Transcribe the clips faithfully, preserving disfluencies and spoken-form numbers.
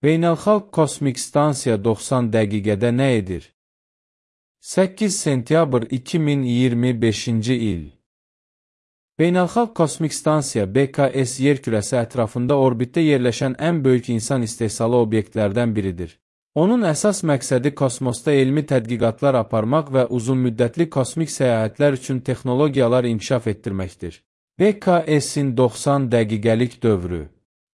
Beynəlxalq Kosmik Stansiya doxsan dəqiqədə nə edir? səkkiz sentyabr iki min iyirmi beşinci il. Beynəlxalq Kosmik Stansiya B K S yer kürəsi ətrafında orbitdə yerləşən ən böyük insan istehsalı obyektlərdən biridir. Onun əsas məqsədi kosmosda elmi tədqiqatlar aparmaq və uzunmüddətli kosmik səyahətlər üçün texnologiyalar inkişaf etdirməkdir. B K S-in doxsan dəqiqəlik dövrü.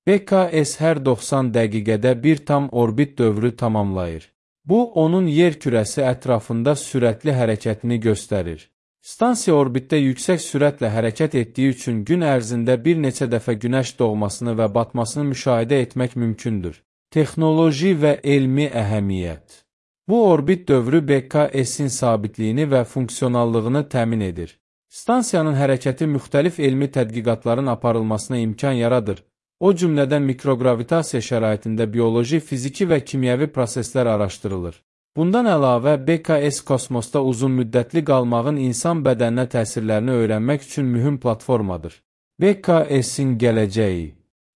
B K S hər doxsan dəqiqədə bir tam orbit dövrü tamamlayır. Bu, onun yer kürəsi ətrafında sürətli hərəkətini göstərir. Stansiya orbitdə yüksək sürətlə hərəkət etdiyi üçün gün ərzində bir neçə dəfə günəş doğmasını və batmasını müşahidə etmək mümkündür. Texnoloji və elmi əhəmiyyət. Bu orbit dövrü B K S-in sabitliyini və funksionallığını təmin edir. Stansiyanın hərəkəti müxtəlif elmi tədqiqatların aparılmasına imkan yaradır. O cümlədən mikrogravitasiya şəraitində bioloji, fiziki və kimyəvi proseslər araşdırılır. Bundan əlavə, B K S kosmosda uzun müddətli qalmağın insan bədəninə təsirlərini öyrənmək üçün mühüm platformadır. B K S-in gələcəyi.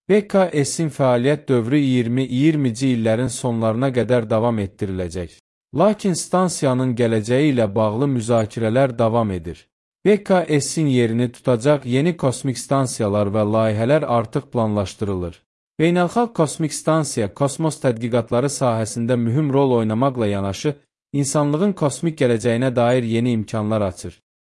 B K S-in fəaliyyət dövrü iyirmi iyirmici illərin sonlarına qədər davam etdiriləcək. Lakin stansiyanın gələcəyi ilə bağlı müzakirələr davam edir. B K S-in yerini tutacaq yeni kosmik stansiyalar və layihələr artıq planlaşdırılır. Beynəlxalq Kosmik Stansiya kosmos tədqiqatları sahəsində mühüm rol oynamaqla yanaşı, insanlığın kosmik gələcəyinə dair yeni imkanlar açır.